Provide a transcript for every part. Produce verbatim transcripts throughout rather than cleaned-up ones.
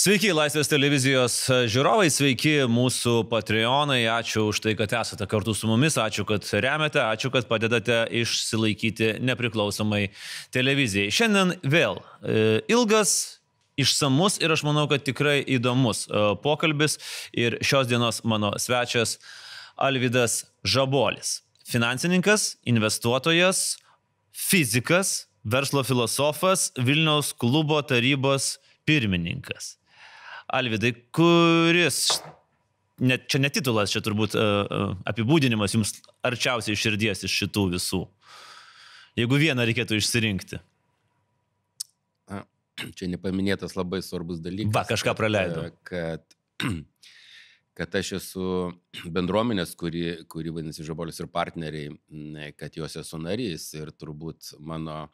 Sveiki, Laisvės televizijos žiūrovai, sveiki mūsų Patreonai, ačiū už tai, kad esate kartu su mumis, ačiū, kad remiate, ačiū, kad padedate išsilaikyti nepriklausomai televizijai. Šiandien vėl ilgas, išsamus ir aš manau, kad tikrai įdomus pokalbis ir šios dienos mano svečias Alvydas Žabolis. Finansininkas, investuotojas, fizikas, verslo filosofas, Vilniaus klubo tarybos pirmininkas. Alvydai, kuris, net, čia ne titulas, čia turbūt uh, apibūdinimas jums arčiausiai širdies iš šitų visų. Jeigu vieną reikėtų išsirinkti. A, čia nepaminėtas labai svarbus dalykas. Va, kažką praleidau. Kad, kad aš esu bendruomenės, kuri, kuri vadinasi Žabolis ir partneriai, kad jos esu narys ir turbūt mano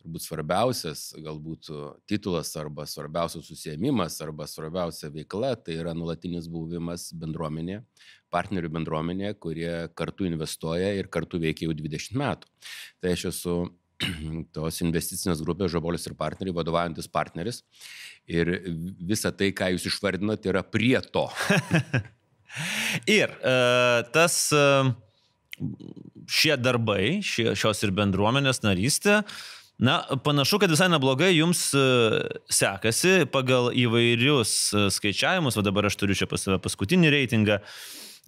turbūt svarbiausias galbūt titulas arba svarbiausias susiėmimas arba svarbiausia veikla, tai yra nuolatinis buvimas bendruomenė, partnerių bendruomenė, kurie kartu investuoja ir kartu veikia jau dvidešimt metų. Tai aš esu tos investicinės grupės Žabolis ir partneriai, vadovaujantis partneris ir visa tai, ką jūs išvardinote, yra prie to. ir uh, tas uh, šie darbai, šie, šios ir bendruomenės narystė, na, panašu, kad visai neblogai jums sekasi pagal įvairius skaičiavimus, o dabar aš turiu čia pas save paskutinį reitingą,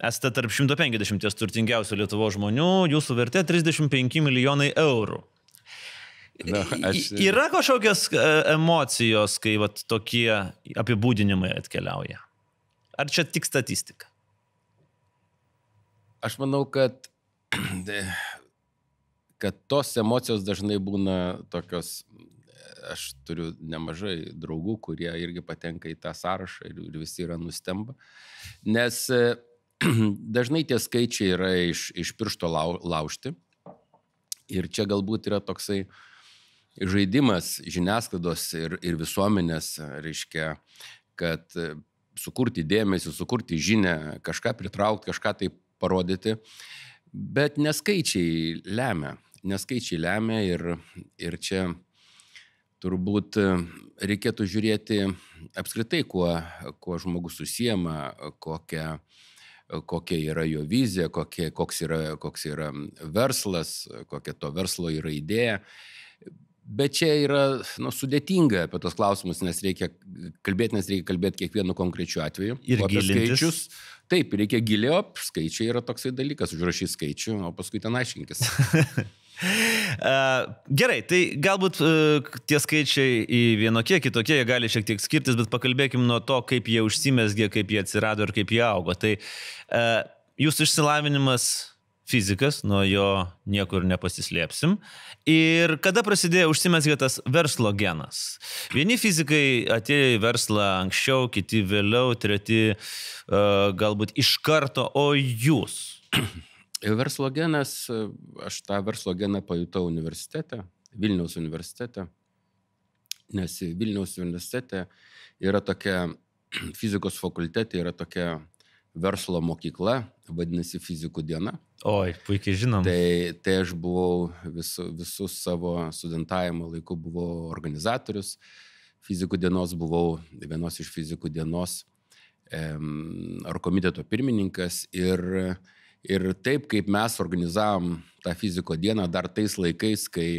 esate tarp šimto penkiasdešimties turtingiausių Lietuvos žmonių, jūsų vertė trisdešimt penki milijonai eurų. Na, aš... Yra kažkokios emocijos, kai vat, tokie apibūdinimai atkeliauja? Ar čia tik statistika? Aš manau, kad kad tos emocijos dažnai būna tokios, aš turiu nemažai draugų, kurie irgi patenka į tą sąrašą ir, ir visi yra nustemba, nes dažnai tie skaičiai yra iš, iš piršto lau, laužti ir čia galbūt yra toksai žaidimas žiniasklaidos ir, ir visuomenės, reiškia, kad sukurti dėmesį, sukurti žinią, kažką pritraukti, kažką tai parodyti, bet neskaičiai lemia. Neskaičiai lemia ir, ir čia turbūt reikėtų žiūrėti apskritai, kuo, kuo žmogus susiema, kokia, kokia yra jo vizija, kokie, koks, yra, koks yra verslas, kokia to verslo yra idėja. Bet čia yra nu, sudėtinga apie tos klausimus, nes reikia kalbėti, nes reikia kalbėti kiekvienu konkrečiu atveju. Ir gilintis. Taip, reikia giliau, skaičiai yra toksai dalykas, užrašyti skaičių, o paskui ten aiškinkis. Gerai, tai galbūt tie skaičiai į vienokie, kitokie, jie gali šiek tiek skirtis, bet pakalbėkim nuo to, kaip jie užsimezgė, kaip jie atsirado ir kaip jie augo. Tai jūsų išsilavinimas fizikas, nuo jo niekur nepasislėpsim. Ir kada prasidėjo užsimezgė tas verslo genas? Vieni fizikai atėjo į verslą anksčiau, kiti vėliau, treti uh, galbūt iš karto, o jūs? Verslo genas, aš tą verslo geną pajutau universitete, Vilniaus universitete, nes Vilniaus universitete yra tokia, fizikos fakultete yra tokia verslo mokykla, vadinasi fizikų diena. Oi, puikiai žinom. Tai, tai aš buvau visu, visus savo studentavimo laiku buvau organizatorius. Fizikų dienos buvau vienos iš fizikų dienos em, ar komiteto pirmininkas. Ir, ir taip, kaip mes organizavom tą fiziko dieną dar tais laikais, kai,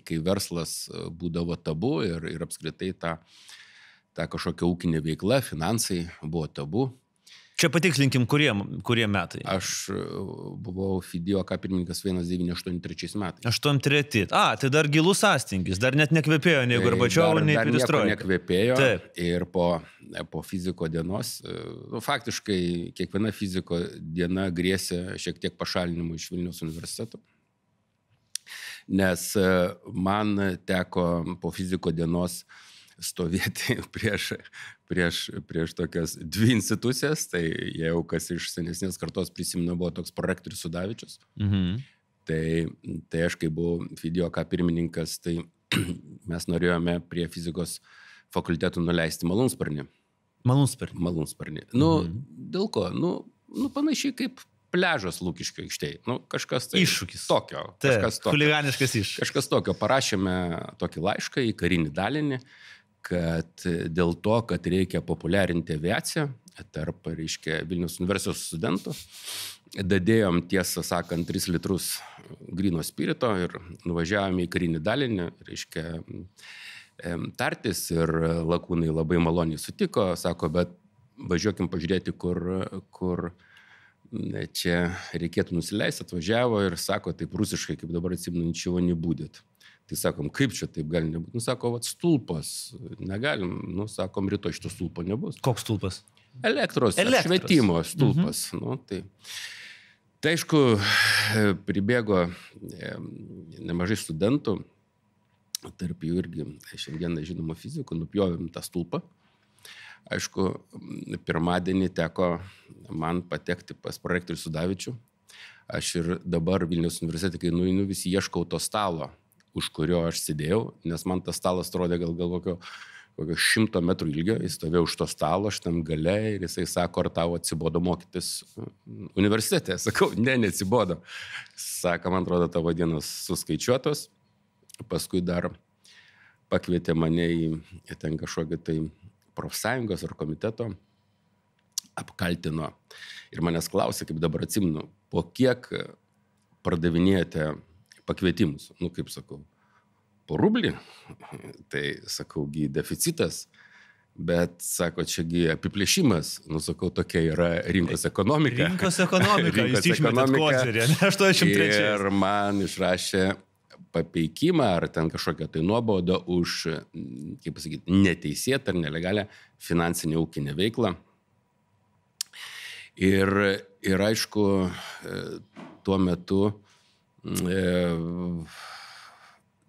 kai verslas būdavo tabu ir, ir apskritai ta, ta kažkokia ūkinė veikla, finansai buvo tabu. Čia patikslinkim, kurie, kurie metai. Aš buvau FIDIOK pirmininkas vienas devyni aštuoni trečiais metais. aštuoni treti. A, tai dar gilus sąstingis, dar net nekvėpėjo nei Gorbačiovo, nei Perestroika. Dar nekvėpėjo. Taip. Ir po, po fiziko dienos, nu, faktiškai kiekviena fiziko diena grėsė šiek tiek pašalinimu iš Vilniaus universiteto. Nes man teko po fiziko dienos stovėti prieš, prieš, prieš tokias dvi institucijas, tai jau kas iš senesnės kartos prisimenu buvo toks prorektorius Sudavičius. Mhm. Tai, tai aš, kai buvau FIDIOK pirmininkas, tai mes norėjome prie fizikos fakultetų nuleisti malūnsparnį. Malūnsparnį? Malūnsparnį. Nu, mhm. Dėl ko? Nu, nu, panašiai kaip pliažas Lukiškių aikštėje. Nu, kažkas tai iššūkis. Tokio. Taip, kažkas tokio. Huliganiškas iššūkis. Kažkas tokio. Parašėme tokį laišką į karinį dalinį, kad dėl to, kad reikia populiarinti aviaciją tarp, reiškia, Vilniaus universiteto studentų, dadėjom, tiesą sakant, tris litrus gryno spirito ir nuvažiavome į karinį dalinį, reiškia, tartis ir lakūnai labai maloniai sutiko, sako, bet važiuokim pažiūrėti, kur, kur čia reikėtų nusileisti, atvažiavo ir sako, taip rusiškai, kaip dabar atsimenu, ničio nebūdėt. Tai sakom, kaip čia taip gali nebūti? Nu, sako, vat stulpas, negalim, nu, sakom, rytoj šito stulpo nebus. Koks stulpas? Elektros, Elektros. švietimo stulpas. Mhm. Nu, tai, tai aišku, pribėgo nemažai studentų, tarp jų irgi šiandieną žinoma fizikų, nupjovėm tą stulpą. Aišku, pirmadienį teko man patekti pas prorektorių Sudavičių. Aš ir dabar Vilniaus universitete, kai nueinu, vis ieškau to stalo, už kurio aš sėdėjau, nes man tas stalas atrodė gal, gal kokio, kokio šimto metrų ilgio, jis stovėjo už to stalo, aš tam gale ir jisai sako, ar tau atsibodo mokytis universitete. Sakau, ne, neatsibodo. Sako, man atrodo, tavo dienos suskaičiuotos. Paskui dar pakvietė mane į ten kažkokį tai profsąjungos ar komiteto, apkaltino ir manęs klausė, kaip dabar atsimenu, po kiek pardavinėjate pakvietimus. Nu, kaip sakau, po rublį, tai sakau, gi deficitas, bet, sako, čiagi apiplėšimas, nu, sakau, tokia yra rinkos ekonomika. Rinkos ekonomika, jūs išmetėt kozerį, aštuoniasdešimt trečiais. Ir man išrašė papeikimą ar ten kažkokią tai nuobaudą už, kaip pasakyti, neteisėtą ar nelegalią finansinę ūkinę veiklą. Ir, ir aišku, tuo metu e,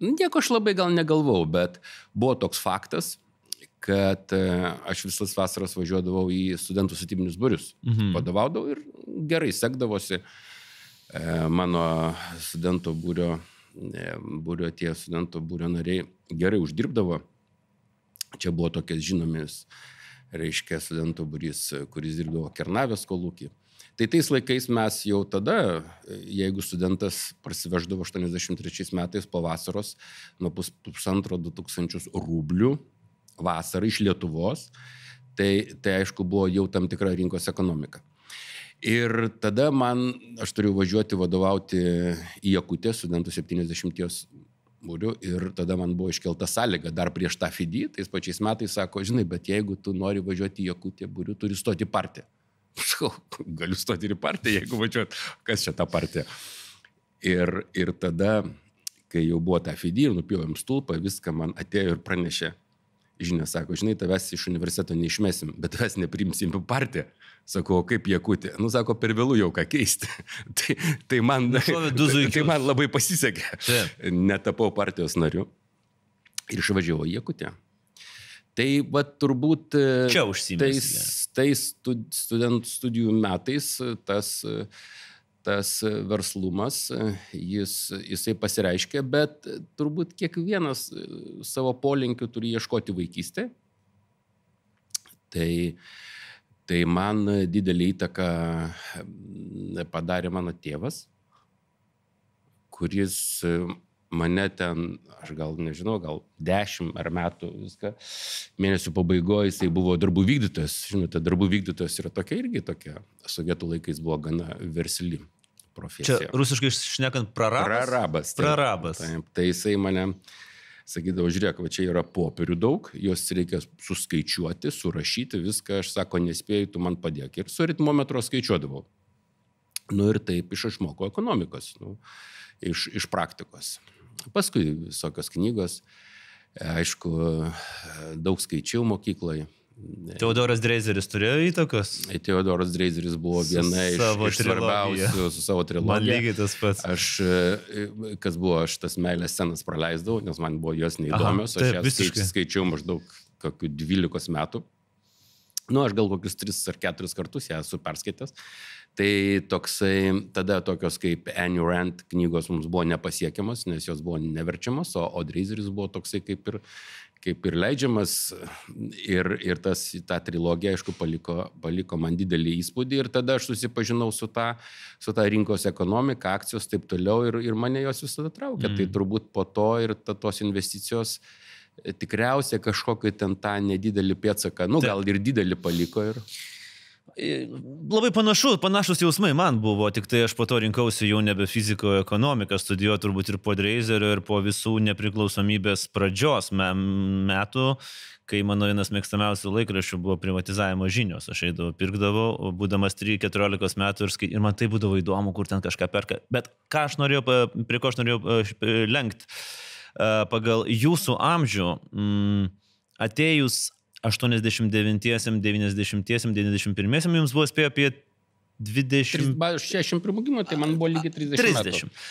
nieko aš labai gal negalvau, bet buvo toks faktas, kad aš visas vasaras važiuodavau į studentų statybinius būrius. Mhm. Vadovaudavau ir gerai sekdavosi. Mano studentų būrio būrio tie studentų būrio nariai gerai uždirbdavo. Čia buvo tokias žinomis, reiškia, studentų būrys, kuris dirbdavo Kernavės kolūkį. Tai tais laikais mes jau tada, jeigu studentas parsiveždavo aštuoniasdešimt trečiais metais po vasaros nuo pus, pusantro du tūkstančius rublių vasarą iš Lietuvos, tai, tai aišku buvo jau tam tikra rinkos ekonomika. Ir tada man, aš turiu važiuoti vadovauti į Jakutę, studentų septyniasdešimties būrių, ir tada man buvo iškelta sąlyga dar prieš tą F I D I, tais pačiais metais sako, žinai, bet jeigu tu nori važiuoti į Jakutę būrių, turi stoti į partiją. Sakau, galiu stoti ir į partiją, jeigu važiuot, kas čia ta partija. Ir, ir tada, kai jau buvo ta F I D I ir nupjovėm stulpą, viską man atėjo ir pranešė. Žinia, sako, žinai, tavęs iš universiteto neišmesim, bet tavęs neprimsim į partiją. Sakau, kaip Jakutė? Nu, sako, per vėlų jau ką keisti. tai, tai, man, tai man labai pasisekė. Taip. Netapau partijos nariu ir išvažiavau į Jakutę. Tai, va, turbūt čia užsimės. Tais, tais studentų studijų metais tas, tas verslumas, jis, jisai pasireiškia, bet turbūt kiekvienas savo polinkių turi ieškoti vaikystėje. Tai Tai man didelį įtaką padarė mano tėvas, kuris mane ten, aš gal nežinau, gal dešimt ar metų viską, mėnesių pabaigoje jisai buvo darbų vykdytojas. Žinote, darbų vykdytojas yra tokia irgi tokia, sovietų laikais buvo gana versli profesija. Čia rusiškai šnekant prarabas? Prarabas. Taip, prarabas. Taip, tai jisai mane sakydavo, žiūrėk, va čia yra popierių daug, juos reikia suskaičiuoti, surašyti, viską, aš sako, nespėjau, tu man padėk. Ir su ritmometro skaičiuodavau. Nu ir taip iš išmoko ekonomikos, nu, iš, iš praktikos. Paskui visokios knygos, aišku, daug skaičiau mokykloje. Teodoras Dreizeris turėjo įtakos? Teodoras Dreizeris buvo viena iš, iš svarbiausių su savo trilogija. Man lygiai tas pats. Aš, kas buvo, aš tas meilės scenas praleisdavau, nes man buvo jos neįdomios. Aha, taip, aš jas skaič, skaičiau maždaug kokių dvylikos metų. Nu, aš gal kokius tris ar keturis kartus ją esu perskaitęs. Tai toksai, tada tokios kaip Ayn Rand knygos mums buvo nepasiekiamas, nes jos buvo neverčiamas, o, o Dreizeris buvo toksai kaip ir, kaip ir leidžiamas. Ir, ir tas, ta trilogija, aišku, paliko, paliko man didelį įspūdį. Ir tada aš susipažinau su ta, su ta rinkos ekonomika, akcijos taip toliau. Ir, ir mane jos visada traukė. Mm. Tai turbūt po to ir ta, tos investicijos tikriausiai kažkokį ten tą nedidelį pėdsaką, nu gal ir didelį paliko. Ir... Labai panašu, panašus jausmai man buvo, tik tai aš po to rinkausi jau nebe fiziko ekonomiką, studijuoti turbūt ir po Dreizerio, ir po visų nepriklausomybės pradžios metų, kai mano vienas mėgstamiausių laikraščių buvo privatizavimo žinios. Aš eidavau, pirkdavau, būdamas trys keturiolikos metų ir, skai... ir man tai būdavo įdomu, kur ten kažką perka. Bet ką aš norėjau, prie ko aš norėjau lenkti, pagal jūsų amžių, atėjus aštuoniasdešimt devintiesiems, devyniasdešimtiesiems, devyniasdešimt pirmiesiems jums buvo spėjo apie dvidešimt... šešiasdešimt pirmų gimimo, tai man buvo lygiai trisdešimt. trisdešimt.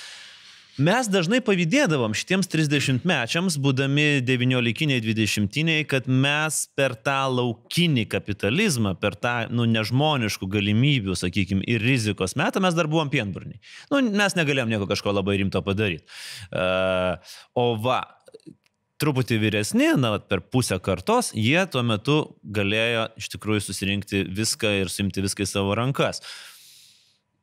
Mes dažnai pavydėdavom šitiems trisdešimtmečiams, būdami devyniolikiniai, dvidešimtiniai, kad mes per tą laukinį kapitalizmą, per tą nu, nežmoniškų galimybių, sakykime, ir rizikos metą mes dar buvom pienburniai. Nu, mes negalėjom nieko kažko labai rimto padaryti. Uh, o va, truputį vyresni, na, per pusę kartos, jie tuo metu galėjo iš tikrųjų susirinkti viską ir suimti viską į savo rankas.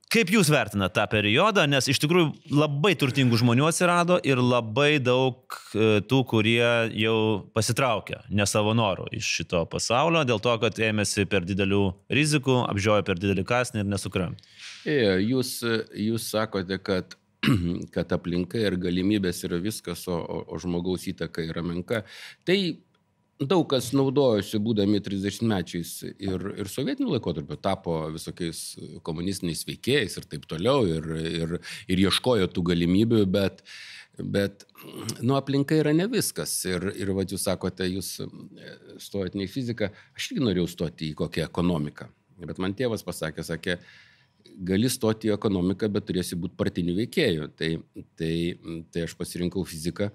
Kaip jūs vertinate tą periodą, nes iš tikrųjų labai turtingų žmonių atsirado ir labai daug tų, kurie jau pasitraukė ne savo norų iš šito pasaulio, dėl to, kad ėmėsi per didelių rizikų, apžiojo per didelį kąsnį ir nesukramtė. Jūs, jūs sakote, kad, kad aplinka ir galimybės yra viskas, o, o, o žmogaus įtaka yra menka. Tai daug kas naudojosi, būdami trisdešimtmečiais ir, ir sovietiniu laikotarpiu, tapo visokiais komunistiniais veikėjais ir taip toliau, ir, ir, ir ieškojo tų galimybių, bet, bet nu, aplinka yra ne viskas. Ir, ir va, jūs sakote, jūs stojate ne į fiziką, aš irgi norėjau stoti į kokią ekonomiką. Bet man tėvas pasakė, sakė, gali stoti į ekonomiką, bet turėsi būti partinių veikėjų. Tai, tai, tai aš pasirinkau fiziką.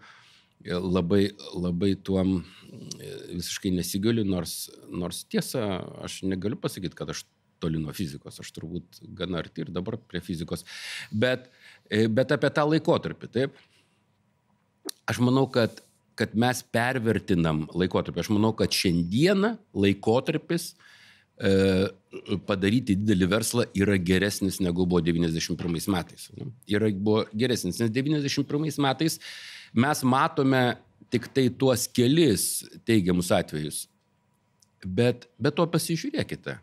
Labai, labai tuom visiškai nesigaliu, nors, nors tiesa, aš negaliu pasakyti, kad aš toli nuo fizikos, aš turbūt gana arti ir dabar prie fizikos, bet, bet apie tą laikotarpį, taip. Aš manau, kad, kad mes pervertinam laikotarpį, aš manau, kad šiandieną laikotarpis e, padaryti didelį verslą yra geresnis negu buvo devyniasdešimt pirmais metais. Yra, buvo geresnis, nes devyniasdešimt pirmais metais mes matome tik tai tuos kelis teigiamus atvejus. Bet, bet to pasižiūrėkite,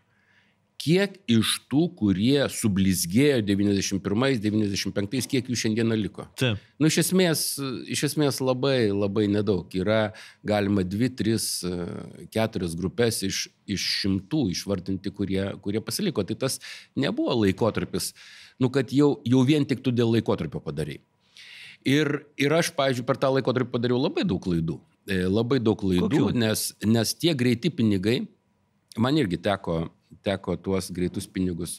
kiek iš tų, kurie sublizgėjo devyniasdešimt pirmais, devyniasdešimt penktais, kiek jų šiandieną liko. Taip. Nu, iš esmės, iš esmės labai, labai nedaug. Yra galima dvi, tris, keturias grupės iš, iš šimtų išvardinti, kurie, kurie pasiliko. Tai tas nebuvo laikotarpis, nu, kad jau, jau vien tik tu dėl laikotarpio padarai. Ir, ir aš, pavyzdžiui, per tą laikotarpį padariau labai daug klaidų. Labai daug klaidų, nes, nes tie greiti pinigai, man irgi teko, teko tuos greitus pinigus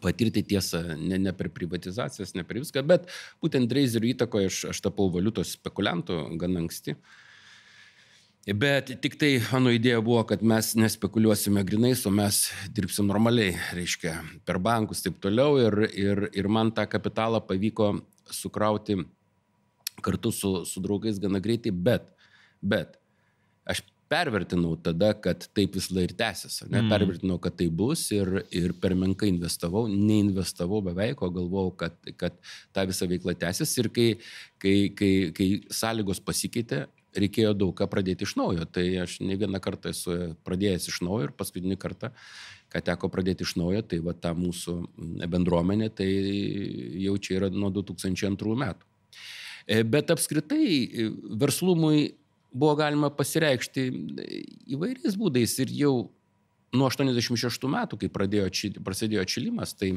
patirti, tiesą, ne, ne per privatizacijas, ne per viską, bet būtent Dreizerio įtakoje aš, aš tapau valiutos spekuliantu gana anksti. Bet tik tai mano idėja buvo, kad mes nespekuliuosime grinais, o mes dirbsim normaliai, reiškia, per bankus taip toliau. Ir, ir, ir man tą kapitalą pavyko sukrauti kartu su, su draugais gana greitai, bet, bet aš pervertinau tada, kad taip vis lai ir tęsis. Ne? Mm. Pervertinau, kad tai bus ir, ir per menkai investavau, neinvestavau beveik, o galvojau, kad, kad ta visa veikla tęsis. Ir kai, kai, kai, kai sąlygos pasikeitė, reikėjo daug ką pradėti iš naujo. Tai aš ne vieną kartą esu pradėjęs iš naujo ir paskutinį kartą, ką teko pradėti iš naujo, tai va ta mūsų bendruomenė, tai jau čia yra nuo du tūkstančiai antrų metų. Bet apskritai verslumui buvo galima pasireikšti įvairiais būdais ir jau nuo aštuoniasdešimt šeštų metų, kai pradėjo, prasidėjo atšilimas, tai,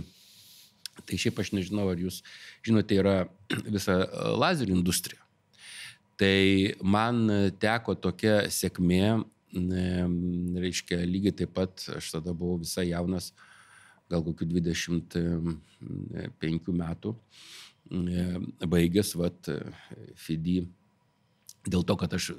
tai šiaip aš nežinau, ar jūs žinote, yra visa lazerių industrija. Tai man teko tokia sėkmė, reiškia, lygiai taip pat, aš tada buvau visai jaunas, gal kokių dvidešimt penkių metų, baigęs, vat, F I D I. Dėl to, kad aš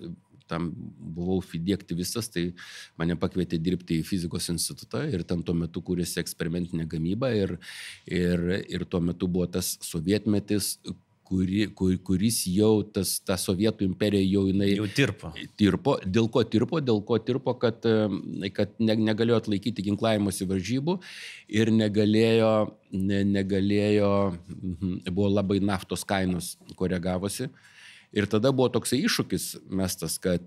tam buvau F I D I aktyvistas, tai mane pakvietė dirbti į fizikos institutą ir ten tuo metu kūrėsi eksperimentinė gamyba ir, ir, ir tuo metu buvo tas sovietmetis, Kuri, kur, kuris jau, tas, ta Sovietų imperija jau jinai... Jau tirpo. Tirpo. Dėl ko tirpo? Dėl ko tirpo, kad, kad ne, negalėjo atlaikyti ginklavimosi varžybų ir negalėjo, ne, negalėjo, buvo labai naftos kainos koregavosi Ir tada buvo toksai iššūkis mestas, kad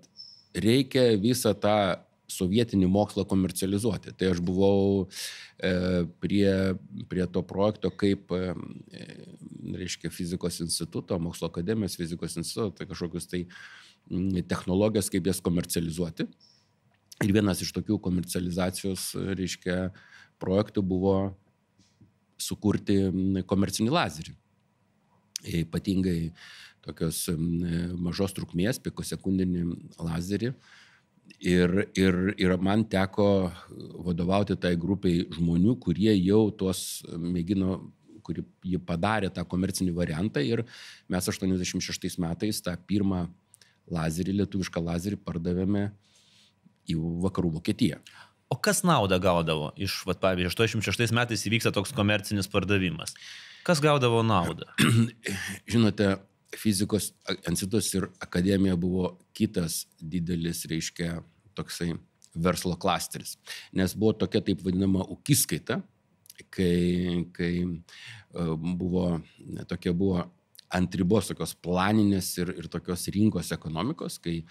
reikia visą tą sovietinį mokslą komercializuoti. Tai aš buvau e, prie, prie to projekto kaip, e, reiškia, fizikos instituto, mokslo akademijos fizikos instituto, tai kažkokius tai technologijas, kaip jas komercializuoti. Ir vienas iš tokių komercializacijos, reiškia, projektų buvo sukurti komercinį lazerį. Ypatingai tokios mažos trukmės, pikosekundinį lazerį. Ir, ir, ir man teko vadovauti tai grupiai žmonių, kurie jau tuos mėgino, kurie jį padarė tą komercinį variantą. Ir mes aštuoniasdešimt šeštais metais tą pirmą lazerį, lietuvišką lazerį pardavėme į vakarų Vokietiją. O kas naudą gaudavo iš, vat, pavyzdžiui, aštuoniasdešimt šeštais metais įvyksta toks komercinis pardavimas? Kas gaudavo naudą? Žinote, fizikos institutas ir akademija buvo kitas didelis, reiškia, toksai verslo klasteris. Nes buvo tokia taip vadinama ūkiskaita, kai, kai buvo, tokia buvo ant ribos tokios planinės ir, ir tokios rinkos ekonomikos, kai,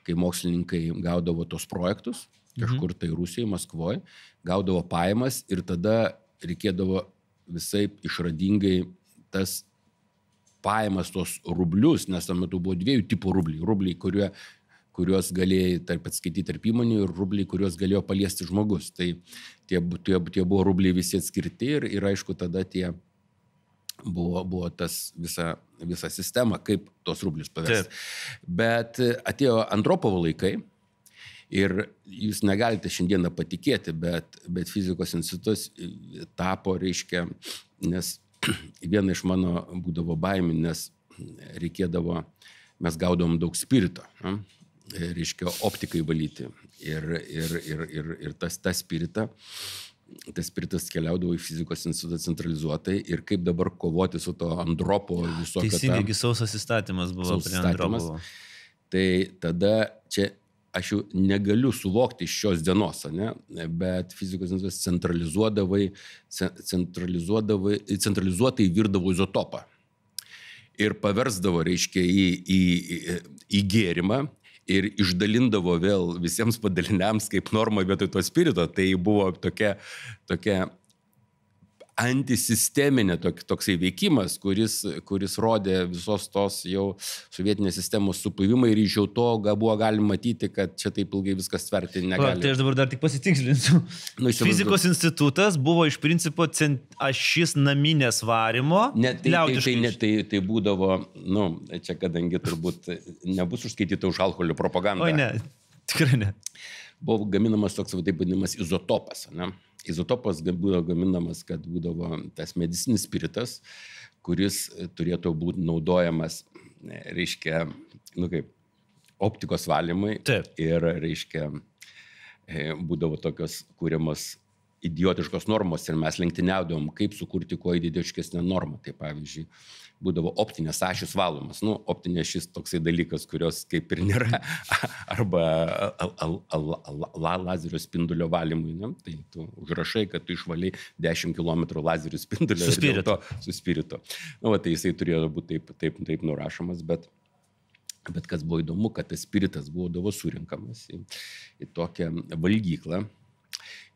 kai mokslininkai gaudavo tos projektus, kažkur tai Rusijoje, Maskvoje, gaudavo pajamas ir tada reikėdavo visai išradingai tas pajamas, tos rublius, nes tam metu buvo dviejų tipų rubliai. Rubliai, kurie, kuriuos galėjai tarp atskaityti tarp įmonių ir rubliai, kuriuos galėjo paliesti žmogus. Tai tie, tie, tie buvo rubliai visi atskirti ir, ir aišku, tada tie buvo, buvo tas visa, visa sistema, kaip tos rublius paversti. Bet atėjo Andropovo laikai. Ir jūs negalite šiandieną patikėti, bet, bet fizikos institutas tapo, reiškia, nes viena iš mano būdavo baimių, nes reikėdavo, mes gaudavom daug spirito, ne? Reiškia, optikai valyti. Ir, ir, ir, ir, ir tas, tas spiritą, tas spiritas keliaudavo į fizikos institutą centralizuotai ir kaip dabar kovoti su to Andropo visokio. Teisingai, sausas įstatymas buvo prie Andropovo. Tai tada čia aš jau negaliu suvokti iš šios dienos, ne? Bet fizikos institutas centralizuodavai, centralizuodavai, centralizuotai virdavo izotopą ir paversdavo, reiškia, į, į, į, į gėrimą ir išdalindavo vėl visiems padaliniams kaip norma vietoj to spirito. Tai buvo tokia, tokia antisisteminė tok, toksai veikimas, kuris, kuris rodė visos tos jau sovietinės sistemos supuvimą ir iš jau to buvo galima matyti, kad čia taip ilgai viskas tverti negali. O, tai aš dabar dar tik pasitikslinsiu. Nu, Fizikos dabar... institutas buvo iš principo cent... ašis naminės varimo. Ne, tai, tai, tai, ne, tai, tai būdavo, nu, čia kadangi turbūt nebus užskaityta už alkoholio propagandą. Oi ne, tikrai ne. Buvo gaminamas toks, taip vadinamas, izotopas, ne? Izotopas būdavo gaminamas, kad būdavo tas medicinis spiritas, kuris turėtų būti naudojamas, reiškia, nu kaip, optikos valymai. Taip. Ir, reiškia, būdavo tokios kūriamos idiotiškos normos ir mes lenktyniaudom, kaip sukurti kuo idiotiškesnę normą. Tai pavyzdžiui, būdavo optinės ašys valomas. Nu, optinė šis toksai dalykas, kurios kaip ir nėra. Arba al, al, al, al, lazerio spindulio valymui. Ne? Tai tu užrašai, kad tu išvaliai dešimt kilometrų lazerio spindulio. Su spiritu. Su spiritu. Nu, va, tai jisai turėjo būti taip, taip, taip nurašomas, bet, bet kas buvo įdomu, kad tas spiritas būdavo surinkamas į, į tokią valgyklą.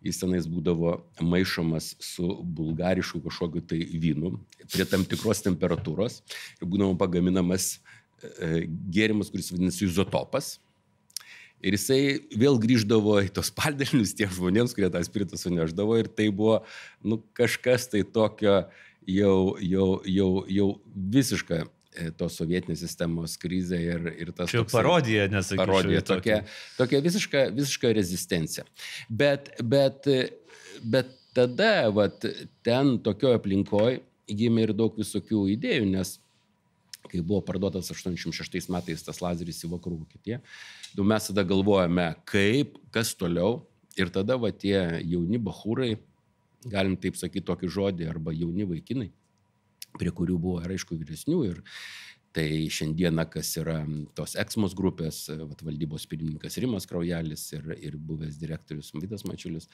Jis tenais būdavo maišomas su bulgarišku kažkokiu tai vynu prie tam tikros temperatūros ir būdavo pagaminamas e, gėrimas, kuris vadinasi izotopas. Ir jisai vėl grįždavo į tos paldalinius tiems žmonėms, kurie tą spiritą suneždavo ir tai buvo nu, kažkas tai tokio jau, jau, jau, jau visiška tos sovietinės sistemos krizė ir, ir tas... Čia toksai, parodija, nesakyčiau. Parodija, tokia, tokia visiška, visiška rezistencija. Bet, bet, bet tada, vat, ten tokioje aplinkoje gimė ir daug visokių idėjų, nes kai buvo parduotas aštuoniasdešimt šeštais metais tas lazeris į vakarų Vokietiją, mes tada galvojame, kaip, kas toliau, ir tada va, tie jauni bachūrai, galim taip sakyti tokį žodį, arba jauni vaikinai, prie kurių buvo, ir aišku, vyresnių. Ir tai šiandieną, kas yra tos Eksmos grupės, vat, valdybos pirmininkas Rimas Kraujelis ir, ir buvęs direktorius Vytas Mačiulis,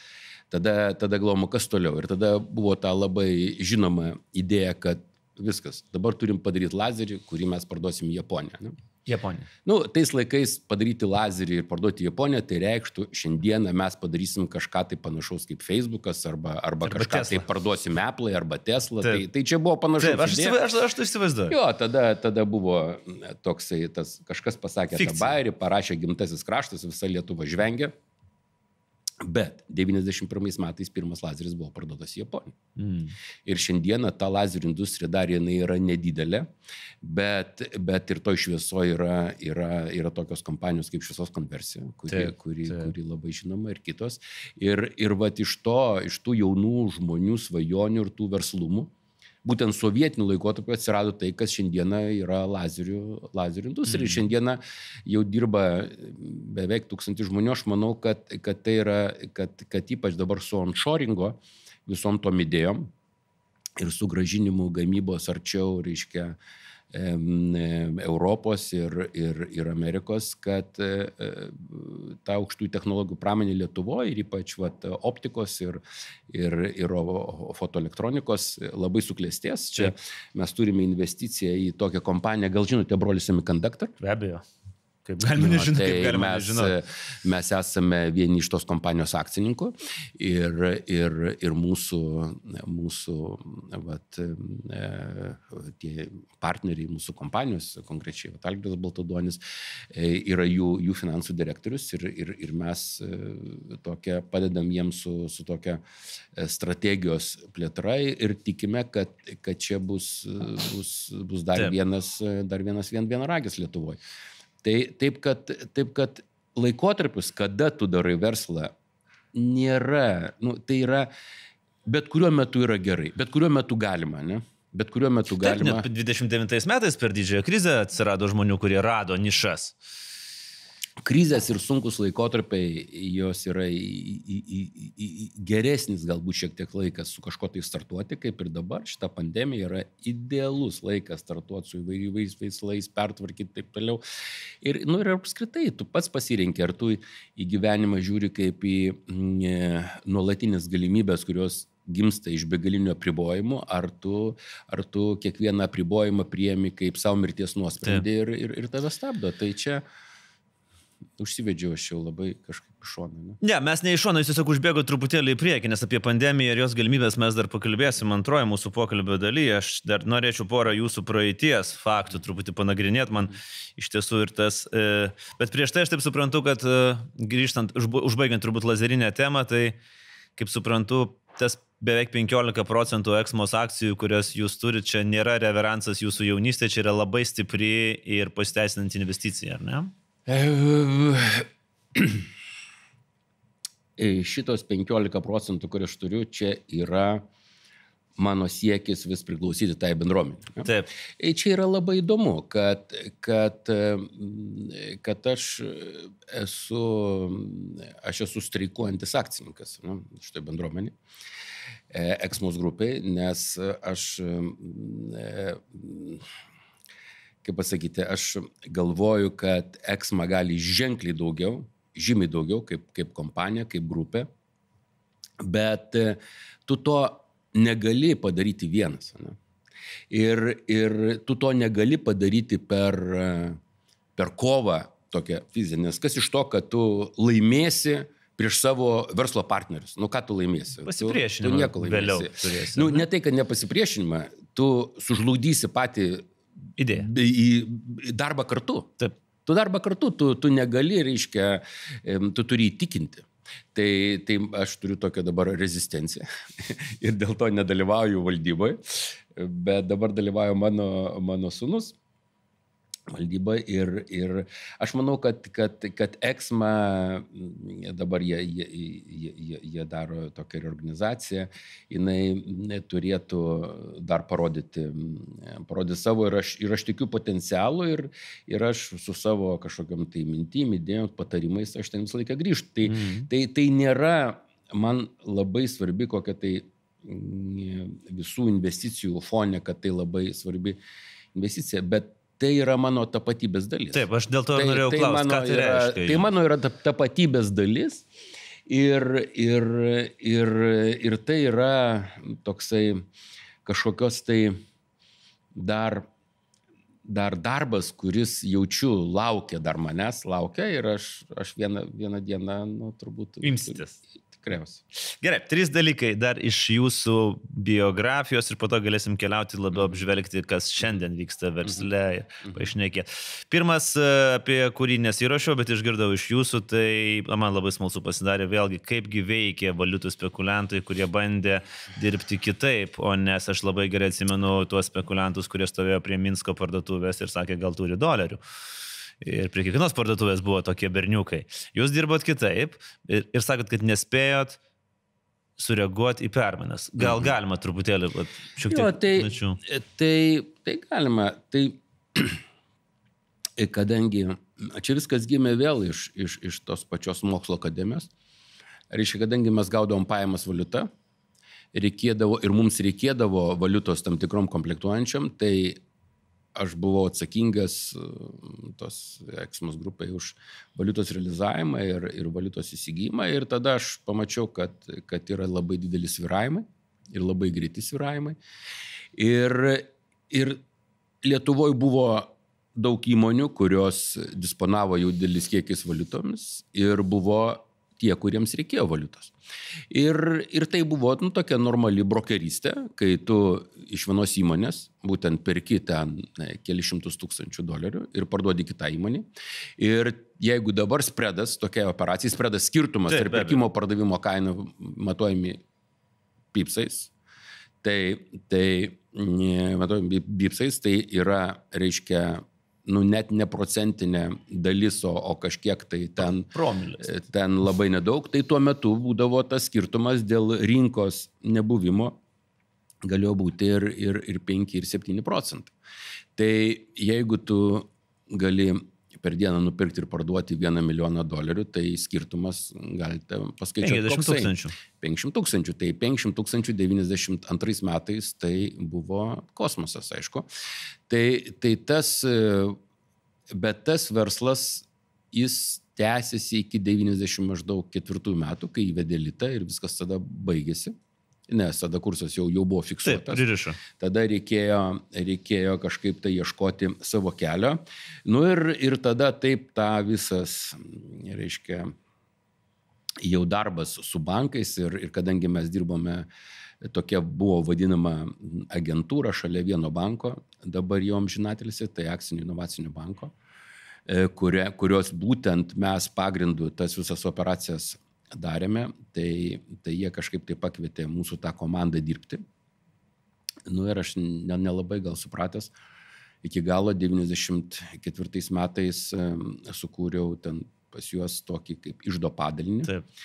tada, tada galvojom, kas toliau. Ir tada buvo ta labai žinoma idėja, kad viskas, dabar turim padaryti lazerį, kurį mes parduosim į Japoniją. Ne? Japonija. Nu, tais laikais padaryti lazerį ir parduoti Japoniją, tai reikštų, šiandieną mes padarysim kažką tai panašaus kaip Facebookas, arba, arba, arba kažką Tesla. Tai parduosim Apple arba Tesla. Tai, tai čia buvo panašus. Taip, aš, aš, aš tai įsivaizduoju. Jo, tada, tada buvo toksai, tas, kažkas pasakė Fikcija. tą bairį, parašė Gimtasis kraštas, visa Lietuva žvengia. Bet devyniasdešimt pirmais metais pirmas lazeris buvo parduotas į Japoniją. Mm. Ir šiandieną ta lazerių industrija dar jinai yra nedidelė, bet, bet ir toj šviesoje yra, yra, yra tokios kompanijos kaip Šviesos konversija, kuri, taip, kuri, taip. kuri labai žinoma ir kitos. Ir, ir vat iš to, iš tų jaunų žmonių svajonių ir tų verslumų, būtent sovietiniu laikotarpiu atsirado tai, kas šiandieną yra lazerių, lazerių industrija. Mm. Šiandieną jau dirba beveik tūkstantį žmonių. Aš manau, kad, kad tai yra, kad, kad ypač dabar su onshoringo visom tom idėjom ir su grąžinimu gamybos arčiau, reiškia, Europos ir, ir, ir Amerikos, kad e, ta aukštųjų technologijų pramonė Lietuvoje ir ypač vat, optikos ir, ir, ir fotoelektronikos labai suklestės. Čia mes turime investiciją į tokią kompaniją, gal žinote, Brolis Semiconductor? Be abejo. Kaip galima nežinoti, tai kaip galima mes, nežinoti. Mes esame vieni iš tos kompanijos akcininkų ir, ir, ir mūsų, mūsų vat, tie partneriai mūsų kompanijos, konkrečiai vat, Algirdas Baltaduonis, yra jų, jų finansų direktorius ir, ir, ir mes tokia, padedam jiems su, su tokia strategijos plėtra ir tikime, kad, kad čia bus, bus, bus dar Taip. vienas, dar vienas vien, vienaragis Lietuvoje. Tai, taip, kad, taip, kad laikotarpis, kada tu darai verslą, nėra, nu, tai yra, bet kuriuo metu yra gerai, bet kuriuo metu galima, ne? Bet kuriuo metu galima. Taip, net dvidešimt devintais metais per didžiąją krizę atsirado žmonių, kurie rado nišas. Krizės ir sunkus laikotarpiai, jos yra į, į, į, į, geresnis galbūt šiek tiek laikas su kažko tai startuoti, kaip ir dabar. Šita pandemija yra idealus laikas startuoti su įvairiais veislais, pertvarkyti taip toliau. Ir, nu, ir apskritai, tu pats pasirinki, ar tu į gyvenimą žiūri kaip į e, nuolatinės galimybės, kurios gimsta iš begalinių apribojimų, ar tu, ar tu kiekvieną apribojimą priemi kaip savo mirties nuosprendį ir, ir, ir tave stabdo. Tai čia užsivedžiau aš jau labai kažkaip iš šono. Ne? ne, mes ne iš šono, jūs tiesiog užbėgo truputėlį į priekį, nes apie pandemiją ir jos galimybės mes dar pakalbėsim antroje mūsų pokalbio dalyje. Aš dar norėčiau porą jūsų praeities faktų truputį panagrinėti, man iš tiesų ir tas. E, bet prieš tai aš taip suprantu, kad e, grįžtant, užbaigiant turbūt lazerinę temą, tai kaip suprantu, tas beveik penkiolika procentų Exmos akcijų, kurias jūs turite, čia nėra reveransas jūsų jaunystė, čia yra labai stipri ir pasiteisinanti investicija, ar ne? Šitos penkiolika procentų, kur aš turiu, čia yra mano siekis vis priklausyti tai bendruomenė. Taip. Čia yra labai įdomu, kad, kad, kad aš esu, aš esu streikuojantis akcininkas, ne, šitoj bendruomenė, Exmos grupiai, nes aš kaip pasakyti, aš galvoju, kad Exma gali ženkliai daugiau, žymiai daugiau kaip, kaip kompanija, kaip grupė, bet tu to negali padaryti vienas. Ne? Ir, ir tu to negali padaryti per, per kovą tokią fizinę, nes kas iš to, kad tu laimėsi prieš savo verslo partnerius. Nu, ką tu laimėsi? Pasipriešinimą. Tu, tu nieko laimėsi. Vėliau turėsi. Nu, ne tai, kad nepasipriešinimą, tu sužlugdysi patį idėją. Į, į darbą kartu. Taip. Tu darbą kartu, tu, tu negali, reiškia, tu turi įtikinti. Tai, tai aš turiu tokią dabar rezistenciją ir dėl to nedalyvauju valdyboje, bet dabar dalyvauju mano, mano sūnus valdyba ir, ir aš manau, kad, kad, kad Exma, dabar jie, jie, jie, jie daro tokią reorganizaciją, jinai turėtų dar parodyti, parodyti savo ir aš, ir aš tikiu potencialų ir, ir aš su savo kažkokiam tai mintim, idėjom, patarimais, aš ten visą laiką grįžtu. Tai, mm. tai, tai nėra man labai svarbi kokia tai visų investicijų fone, kad tai labai svarbi investicija, bet tai yra mano tapatybės dalis. Taip, aš dėl to tai, norėjau tai klausti, ką tai yra, reiškia. Tai mano yra tapatybės dalis ir, ir, ir, ir tai yra toksai kažkokios tai dar dar darbas, kuris jaučiu laukia dar manęs, laukia ir aš, aš vieną, vieną dieną, nu, turbūt... Imsitės. Tikriausiai. Gerai, trys dalykai dar iš jūsų biografijos ir po to galėsim keliauti labiau apžvelgti, kas šiandien vyksta versle ir pašnekėti. Pirmas, apie kurį nesirašiau, bet išgirdau iš jūsų, tai man labai smalsu pasidarė vėlgi, kaipgi veikė valiutų spekuliantai, kurie bandė dirbti kitaip, o nes aš labai gerai atsimenu tuos spekuliantus, kurie stovėjo prie Minsko parduotuvės ir sakė, gal turi dolerių. Ir prie kiekvienos parduotuvės buvo tokie berniukai. Jūs dirbot kitaip ir, ir sakot, kad nespėjot sureaguoti į permainas. Gal galima truputėlį šiek tiek... Jo, tai, tai, tai galima. Tai, kadangi čia viskas gimė vėl iš, iš, iš tos pačios mokslo akademijos, reiškia, kadangi mes gaudavom pajamas valiutą, reikėdavo, ir mums reikėdavo valiutos tam tikrom komplektuojančiam, tai aš buvau atsakingas tos Exmos grupai už valiutos realizavimą ir, ir valiutos įsigijimą ir tada aš pamačiau, kad, kad yra labai dideli svyravimai ir labai greiti svyravimai. Ir, ir Lietuvoje buvo daug įmonių, kurios disponavo jau didelis kiekis valiutomis ir buvo tie, kuriems reikėjo valiutos. Ir, ir tai buvo nu, tokia normali brokerystė, kai tu iš vienos įmonės būtent perki ten ne, keli šimtus tūkstančių dolerių ir parduodi kitą įmonį. Ir jeigu dabar spredas, tokia operacija, spredas skirtumas tarp perkimo pardavimo kainų matuojami pipsais, tai, tai matuojami pipsais, tai yra, reiškia, nu net ne procentinė dalis, o, o kažkiek tai ten, ten labai nedaug, tai tuo metu būdavo tas skirtumas dėl rinkos nebuvimo, galėjo būti ir, ir, ir penki, ir septyni procentai. Tai jeigu tu gali per dieną nupirkti ir parduoti vieną milijoną dolerių, tai skirtumas galite paskaičiuoti. penkiasdešimt tūkstančių. penkiasdešimt tūkstančių. Tai penkiasdešimt tūkstančių devyniasdešimt antrais metais tai buvo kosmosas, aišku. Tai, tai tas, bet tas verslas, jis tęsiasi iki devyniasdešimt maždaug ketvirtųjų metų, kai įvedė litą ir viskas tada baigėsi. Nes tada kursas jau, jau buvo fiksuotas. Taip, pririšo. Tada reikėjo, reikėjo kažkaip tai ieškoti savo kelio. Nu ir, ir tada taip ta visas, reiškia, jau darbas su bankais ir, ir kadangi mes dirbome, tokia buvo vadinama agentūra šalia vieno banko, dabar jau amžinatelėse, tai Akcinių inovacijų banko, kuria, kurios būtent mes pagrindų tas visas operacijas darėme, tai, tai jie kažkaip tai pakvietė mūsų tą komandą dirbti. Nu ir aš nelabai gal supratęs, iki galo devyniasdešimt ketvirtais metais sukūriau ten pas juos tokį kaip iždo padalinį. Taip.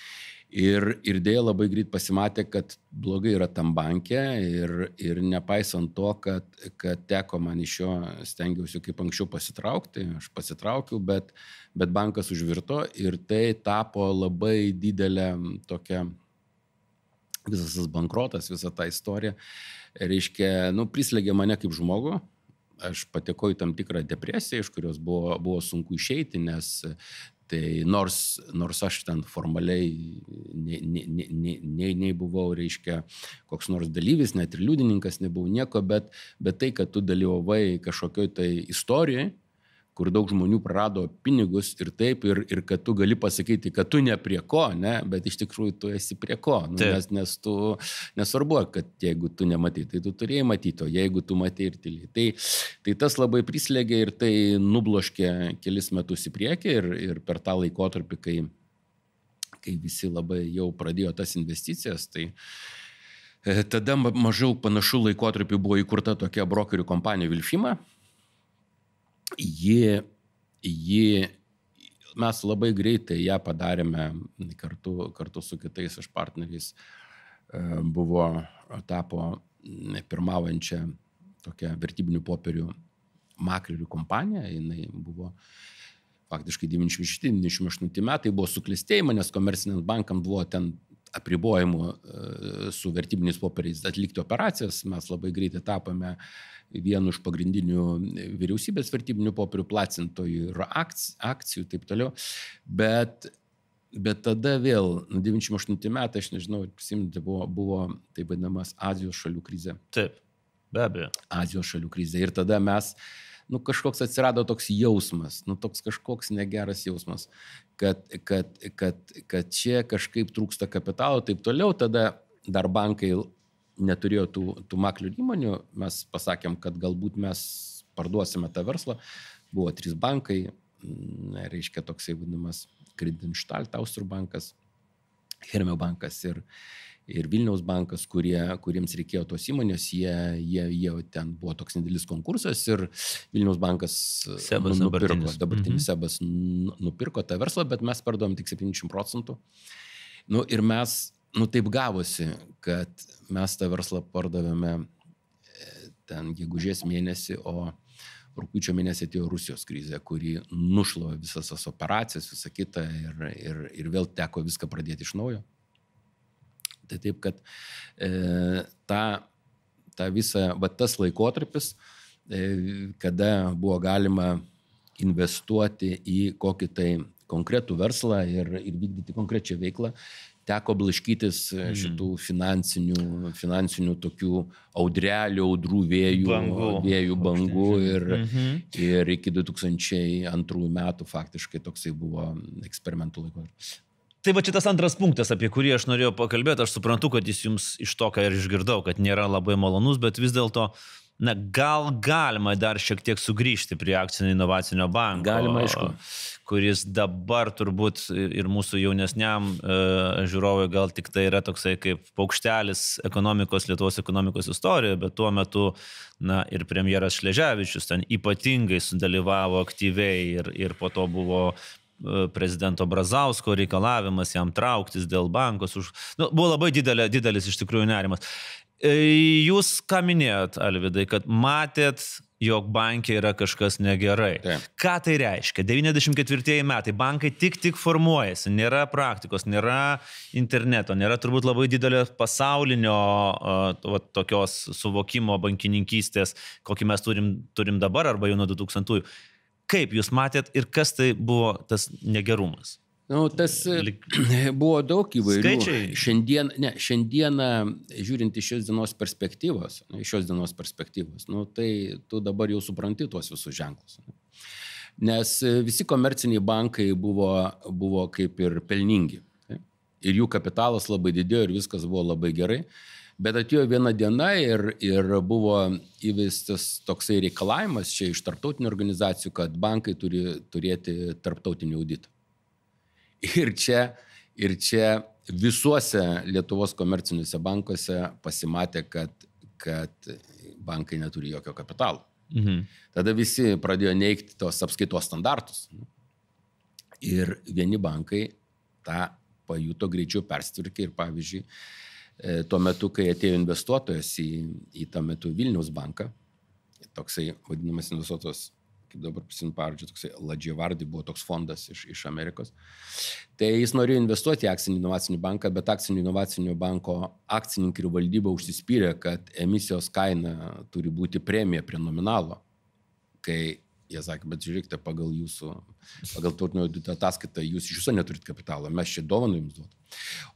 Ir, ir dėja labai greit pasimatė, kad blogai yra tam banke ir, ir nepaisant to, kad, kad teko man iš jo stengiausi kaip anksčiau pasitraukti, aš pasitraukiau, bet, bet bankas užvirto ir tai tapo labai didelė tokia, visas tas bankrotas, visa ta istorija, reiškia, nu, prislėgė mane kaip žmogų. Aš patekau į tam tikrą depresiją, iš kurios buvo, buvo sunku išeiti, nes tai nors, nors aš ten formaliai nei, nei, nei, nei, nei buvau, reiškia, koks nors dalyvis, net ir liudininkas nebuvau nieko, bet, bet tai, kad tu dalyvavai kažkokioj tai istorijai, kur daug žmonių prarado pinigus ir taip, ir, ir kad tu gali pasakyti, kad tu ne prie ko, ne, bet iš tikrųjų tu esi prie ko, nu, nes, nes tu nesvarbu, kad jeigu tu nematai, tai tu turėjai matyti, o jeigu tu matai ir tyliai. Tai, tai tas labai prislėgė ir tai nubloškė kelis metus į priekį ir, ir per tą laikotarpį, kai, kai visi labai jau pradėjo tas investicijas, tai tada mažiau panašų laikotarpį buvo įkurta tokia brokerių kompanija Vilfima. Ji, ji, mes labai greitai ją padarėme kartu, kartu su kitais iš partneriais, buvo, tapo pirmaujančia tokia vertybinių popierių maklerių kompanija, jinai buvo faktiškai devyniasdešimt šešti devyniasdešimt aštunti metai, buvo suklestėjimai, nes komerciniams bankams buvo ten apribojimų su vertybiniais popieriais atlikti operacijas, mes labai greitai tapome vienu iš pagrindinių vyriausybės vertybinių popierių platintojų ir akcijų, taip toliau. Bet, bet tada vėl, nu, devyniasdešimt aštunti metai, aš nežinau, prisimti, buvo, buvo taip vadinamas Azijos šalių krizė. Taip, be abejo. Azijos šalių krizė. Ir tada mes nu, kažkoks atsirado toks jausmas, nu, toks kažkoks negeras jausmas, kad, kad, kad, kad čia kažkaip trūksta kapitalo, taip toliau, tada dar bankai neturėjo tų, tų maklių įmonių, mes pasakėm, kad galbūt mes parduosime tą verslą, buvo trys bankai, reiškia toksai vadinamas Kredinštalt, Austrų bankas, Hermio bankas ir, ir Vilniaus bankas, kurie, kuriems reikėjo tos įmonės, jie, jie, jie ten buvo toks nedidelis konkursas ir Vilniaus bankas Sebas nupirko, dabartinis, dabartinis mhm. Sebas nupirko tą verslą, bet mes parduom tik septyniasdešimt procentų. Nu, ir mes, nu taip gavosi, kad mes tą verslą pardavėme ten gegužės mėnesį, o rugpjūčio mėnesį atėjo Rusijos krizė, kuri nušlovė visas tas operacijas, visą kitą ir, ir, ir vėl teko viską pradėti iš naujo. Tai taip, kad e, ta, ta visa, va tas laikotarpis, e, kada buvo galima investuoti į kokį tai konkretų verslą ir, ir vykdyti konkrečią veiklą, teko blaškytis šitų finansinių, finansinių tokių audrelių, audrų vėjų, bangų, vėjų bangų ir, mhm. ir iki du tūkstančiai antrų metų faktiškai toksai buvo eksperimentų laikotarpis. Tai va šitas antras punktas, apie kurį aš norėjau pakalbėti, aš suprantu, kad jis jums iš to, ką ir išgirdau, kad nėra labai malonus, bet vis dėlto na, gal galima dar šiek tiek sugrįžti prie akcinio inovacinio banko. Galima, aišku. Kuris dabar turbūt ir mūsų jaunesniam e, žiūrovui gal tik tai yra toksai kaip paukštelis ekonomikos, Lietuvos ekonomikos istorijoje, bet tuo metu, na, ir premjeras Šleževičius ten ypatingai sudalyvavo aktyviai ir, ir po to buvo prezidento Brazausko reikalavimas jam trauktis dėl bankos. Už... Nu, buvo labai didelė, didelis iš tikrųjų nerimas. Jūs ką minėjot, Alvydai, kad matėt, jog bankė yra kažkas negerai. Taip. Ką tai reiškia? devyniasdešimt ketvirtieji metai, bankai tik tik formuojasi, nėra praktikos, nėra interneto, nėra turbūt labai didelio pasaulinio uh, tokios suvokimo bankininkystės, kokį mes turim, turim dabar arba jau nuo du tūkstantųjų. Kaip jūs matėt ir kas tai buvo tas negerumas? Nu, tas Lik... buvo daug įvairių. Skaičiai. Šiandien, ne, šiandieną, žiūrint iš šios dienos perspektyvos, iš šios dienos perspektyvos, nu, tai tu dabar jau supranti tuos visus ženklus. Nes visi komerciniai bankai buvo, buvo kaip ir pelningi. Ir jų kapitalas labai didėjo ir viskas buvo labai gerai. Bet atėjo viena diena ir, ir buvo įvestas toksai reikalavimas čia iš tarptautinių organizacijų, kad bankai turi turėti tarptautinį auditą. Ir čia, ir čia visuose Lietuvos komerciniuose bankuose pasimatė, kad, kad bankai neturi jokio kapitalo. Mhm. Tada visi pradėjo neigti tos apskaitos standartus. Ir vieni bankai tą pajuto greičiau persitvarkė ir pavyzdžiui, tuo metu, kai atėjo investuotojas į, į tą metu Vilniaus banką, toksai vadinamas investuotojas, kaip dabar prisimenu pavardžių, toksai Ladžiavardai buvo toks fondas iš, iš Amerikos, tai jis norėjo investuoti į akcinį inovacinį banką, bet akcinio inovacinio banko akcininkai ir valdyba užsispyrė, kad emisijos kaina turi būti premija prie nominalo, kai jie sakė, bet žiūrėkite, pagal jūsų, pagal turtinio audito ataskaitą, jūs iš viso neturit kapitalo, mes čia dovaną jums duotų.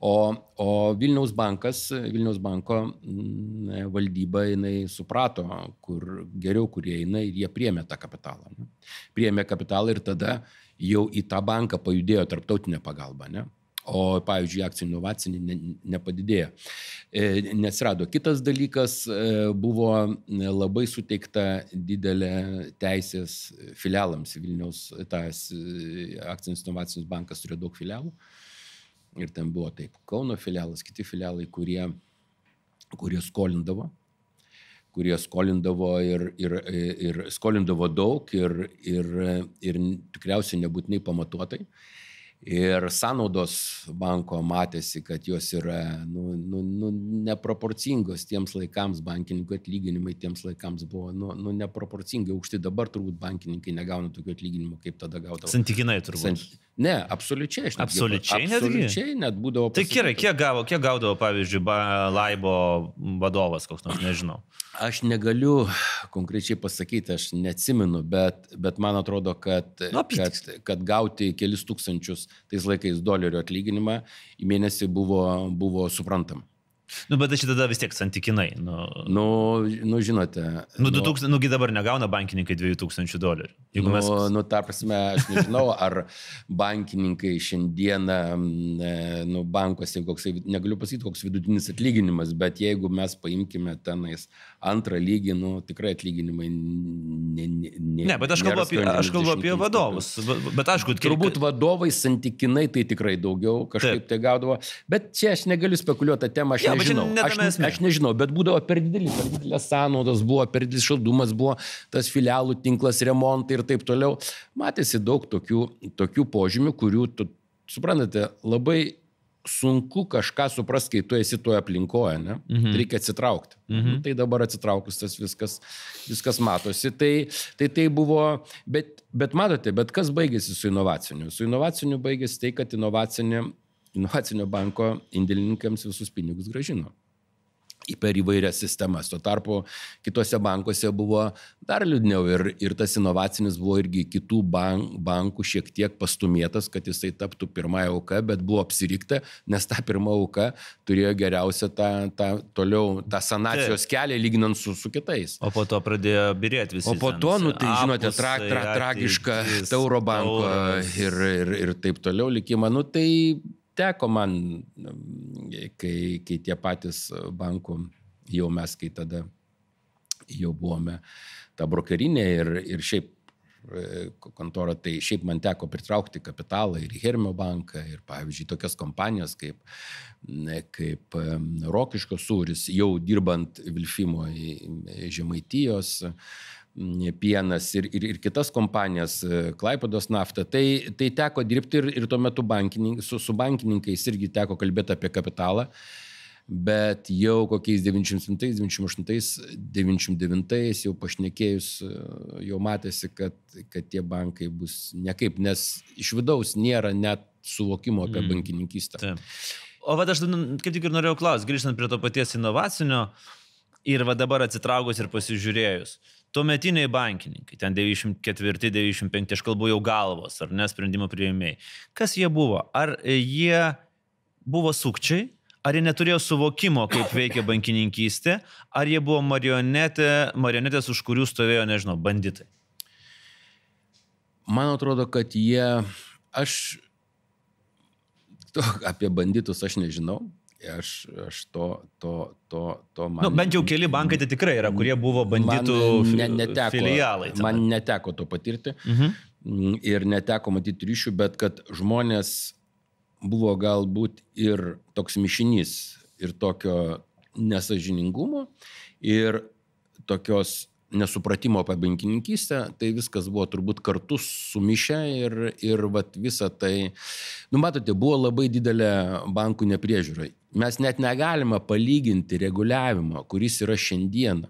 O, o Vilniaus bankas, Vilniaus banko m, valdyba, jinai suprato, kur geriau, kurie eina ir jie priėmė tą kapitalą. Ne? Priėmė kapitalą ir tada jau į tą banką pajudėjo tarptautinė pagalba, ne? O, pavyzdžiui, akcijų inovacinį ne, nepadidėjo. E, nesirado. Kitas dalykas, e, buvo labai suteikta didelė teisės filialams. Vilniaus tas akcinis inovacinis bankas turėjo daug filialų. Ir ten buvo taip, Kauno filialas, kiti filialai, kurie, kurie skolindavo. kurie skolindavo ir, ir, ir skolindavo daug ir, ir, ir tikriausiai nebūtinai pamatuotai. Ir sąnaudos banko matėsi, kad jos yra nu, nu, nu, neproporcingos tiems laikams, bankininkų atlyginimai tiems laikams buvo nu, nu, neproporcingai aukšti. Dabar turbūt bankininkai negauna tokių atlyginimų, kaip tada gaudavo. Santykinai turbūt. Sant... Ne, absoliučiai. Aš absoliučiai netgi? Absoliučiai net būdavo. Tai gerai, kiek, gavo, kiek gaudavo, pavyzdžiui, Laibo vadovas, koks nors, nežinau. Aš negaliu konkrečiai pasakyti, aš neatsimenu, bet, bet man atrodo, kad, nu, kad, kad gauti kelis tūkstančius tais laikais dolerių atlyginimą į mėnesį buvo, buvo suprantama. Nu, bet šitą tada vis tiek santykinai. Nu, nu, nu žinote. Nu, du tūkstančiai, nugi dabar negauna bankininkai dviejų tūkstančių dolerių. Nu, mes... nu, ta prasme, aš nežinau, ar bankininkai šiandieną, nu, bankuose, koks, negaliu pasakyti, koks vidutinis atlyginimas, bet jeigu mes paimkime tenais antrą lygį, nu, tikrai atlyginimai ne, ne, ne, ne, bet aš kalbu apie, aš kalbu apie vadovus. Bet, bet aišku, turbūt vadovai santykinai tai tikrai daugiau kažkaip Taip. Tai gaudavo. Bet čia aš negaliu spekuliuoti tą temą, aš ja, nežinau. Aš, aš nežinau, bet būdavo per didelis, per didelės sąnaudos buvo, per didelis šaldumas buvo, tas filialų tinklas, remontai ir taip toliau. Matėsi daug tokių, tokių požymių, kurių, tu, suprantate, labai sunku kažką suprasti, kai tu esi toje aplinkoje, ne? Mhm. Reikia atsitraukti. Mhm. Tai dabar atsitraukus tas viskas, viskas matosi. Tai, tai tai buvo, bet, bet matote, bet kas baigėsi su inovaciniu? Su inovaciniu baigėsi tai, kad inovacinė, inovacinio banko indėlininkams visus pinigus grąžino per įvairias sistemas. Tuo tarpu kitose bankuose buvo dar liūdniau ir, ir tas inovacinis buvo irgi kitų bank, bankų šiek tiek pastumėtas, kad jisai taptų pirmąją auką, bet buvo apsirikta, nes ta pirma auka turėjo geriausią tą, tą toliau tą sanacijos kelią lyginant su, su kitais. O po to pradėjo birėti visi. O po to, nu, tai žinote, tra, tra, tragiška Tauro banko ir, ir, ir taip toliau likimą. Nu, tai teko man, kai, kai tie patys bankų, jau mes, kai tada jau buvome ta brokerinė ir, ir šiaip kontora, tai šiaip man teko pritraukti kapitalą ir į Hermio banką, ir pavyzdžiui tokias kompanijas kaip, kaip Rokiškio sūris, jau dirbant Vilfimo Žemaitijos, Pienas ir, ir, ir kitas kompanijas, Klaipėdos nafta, tai, tai teko dirbti ir, ir tuo metu su, su bankininkais irgi teko kalbėti apie kapitalą, bet jau kokiais devyniasdešimt septintais, devyniasdešimt aštuntais, devyniasdešimt devintais jau pašnekėjus, jau matėsi, kad, kad tie bankai bus nekaip, nes iš vidaus nėra net suvokimo apie mm. bankininkystę. Taip. O va, aš kaip tik ir norėjau klausti, grįžtant prie to paties inovacinio ir va dabar atsitraukus ir pasižiūrėjus. Tuometiniai bankininkai, ten devyniasdešimt ketvirti devyniasdešimt penkti, aš kalbu jau galvos, ar ne, sprendimo priėmėjai. Kas jie buvo? Ar jie buvo sukčiai? Ar jie neturėjo suvokimo, kaip veikia bankininkystė? Ar jie buvo marionetė, marionetės, už kurių stovėjo, nežinau, banditai? Man atrodo, kad jie... Aš... To, apie banditus aš nežinau. Aš, aš to, to, to, to man... Nu, bent jau keli bankai tai tikrai yra, kurie buvo banditų ne, neteko, filialai. Tenai. Man neteko to patirti mhm. ir neteko matyti ryšių, bet kad žmonės buvo galbūt ir toks mišinys ir tokio nesąžiningumo ir tokios nesupratimo apie bankininkystę, tai viskas buvo turbūt kartu sumišę ir, ir vat visą tai, nu matote, buvo labai didelė bankų nepriežiūra. Mes net negalime palyginti reguliavimo, kuris yra šiandieną.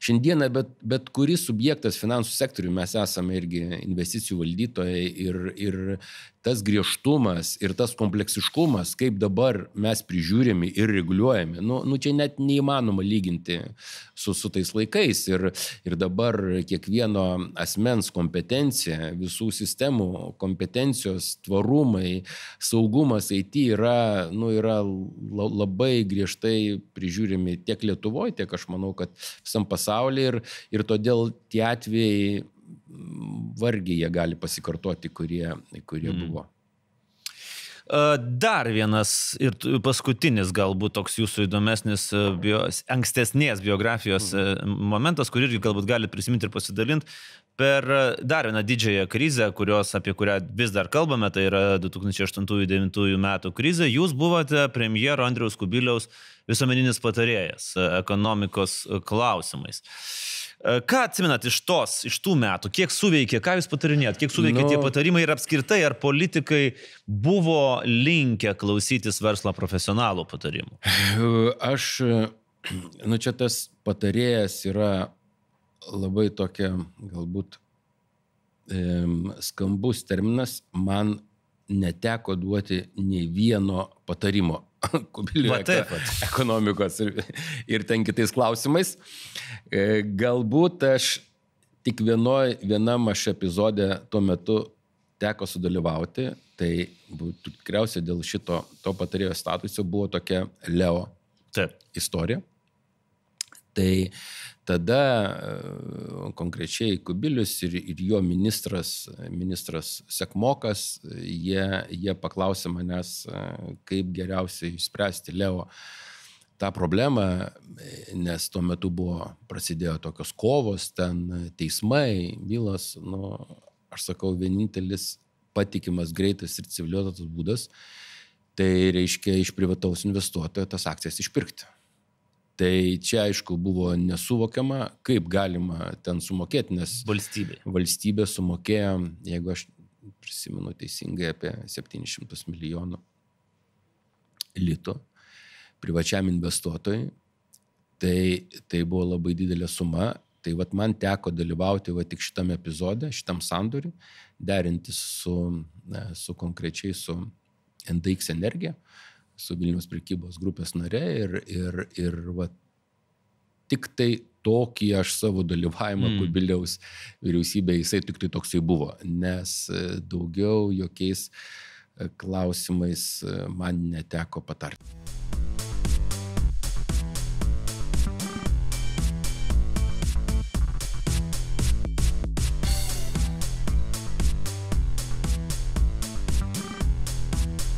Šiandieną bet, bet kuris subjektas finansų sektoriui, mes esame irgi investicijų valdytojai ir, ir tas griežtumas ir tas kompleksiškumas, kaip dabar mes prižiūrimi ir reguliuojami, nu, nu čia net neįmanoma lyginti su, su tais laikais. Ir, ir dabar kiekvieno asmens kompetencija, visų sistemų kompetencijos, tvarumai, saugumas I T yra, nu, yra labai griežtai prižiūrimi tiek Lietuvoje, tiek aš manau, kad visam pasaulyje ir, ir todėl tie atvejai vargiai jie gali pasikartoti, kurie, kurie mm. buvo. Dar vienas ir paskutinis galbūt toks jūsų įdomesnis bio, ankstesnės biografijos mm. momentas, kurį irgi galbūt galite prisiminti ir pasidalinti. Per dar vieną didžiąją krizę, kurios, apie kurią vis dar kalbame, tai yra du tūkstančiai aštuntų devintų metų krizė, jūs buvote premjero Andriaus Kubiliaus visuomeninis patarėjas ekonomikos klausimais. Ką atsimenat iš tos, iš tų metų, kiek suveikė, ką jūs patarinėjot, kiek suveikė no. tie patarimai ir apskritai, ar politikai buvo linkę klausytis verslo profesionalų patarimų? Aš, nu čia tas patarėjas yra labai tokia, galbūt e, skambus terminas, man neteko duoti nei vieno patarimo Kubiliui ekonomikos ir, ir ten kitais klausimais. E, galbūt aš tik vienoj, vienam aš epizode tuo metu teko sudalyvauti, tai būtų tikriausiai dėl šito to patarėjo statuso buvo tokia Leo Taip. istoriją. Tai tada konkrečiai Kubilius ir, ir jo ministras, ministras Sekmokas, jie, jie paklausė manęs, kaip geriausiai išspręsti Leo tą problemą, nes tuo metu buvo, prasidėjo tokios kovos, ten teismai, bylos, nu, aš sakau, vienintelis patikimas, greitas ir civilizuotas būdas, tai reiškia iš privataus investuotojo tas akcijas išpirkti. Tai čia, aišku, buvo nesuvokiama, kaip galima ten sumokėti, nes valstybė, valstybė sumokėjo, jeigu aš prisimenu teisingai, apie septynis šimtus milijonų litų privačiam investuotojui. Tai, tai buvo labai didelė suma. Tai vat man teko dalyvauti va tik šitam epizode, šitam sandoriui, derintis su, su konkrečiai su N D X Energija, su Vilniaus prekybos grupės nare ir, ir, ir va, tik tai tokį aš savo dalyvavimą mm. Kubiliaus vyriausybėje, jisai tik tai toksai buvo, nes daugiau jokiais klausimais man neteko patarti.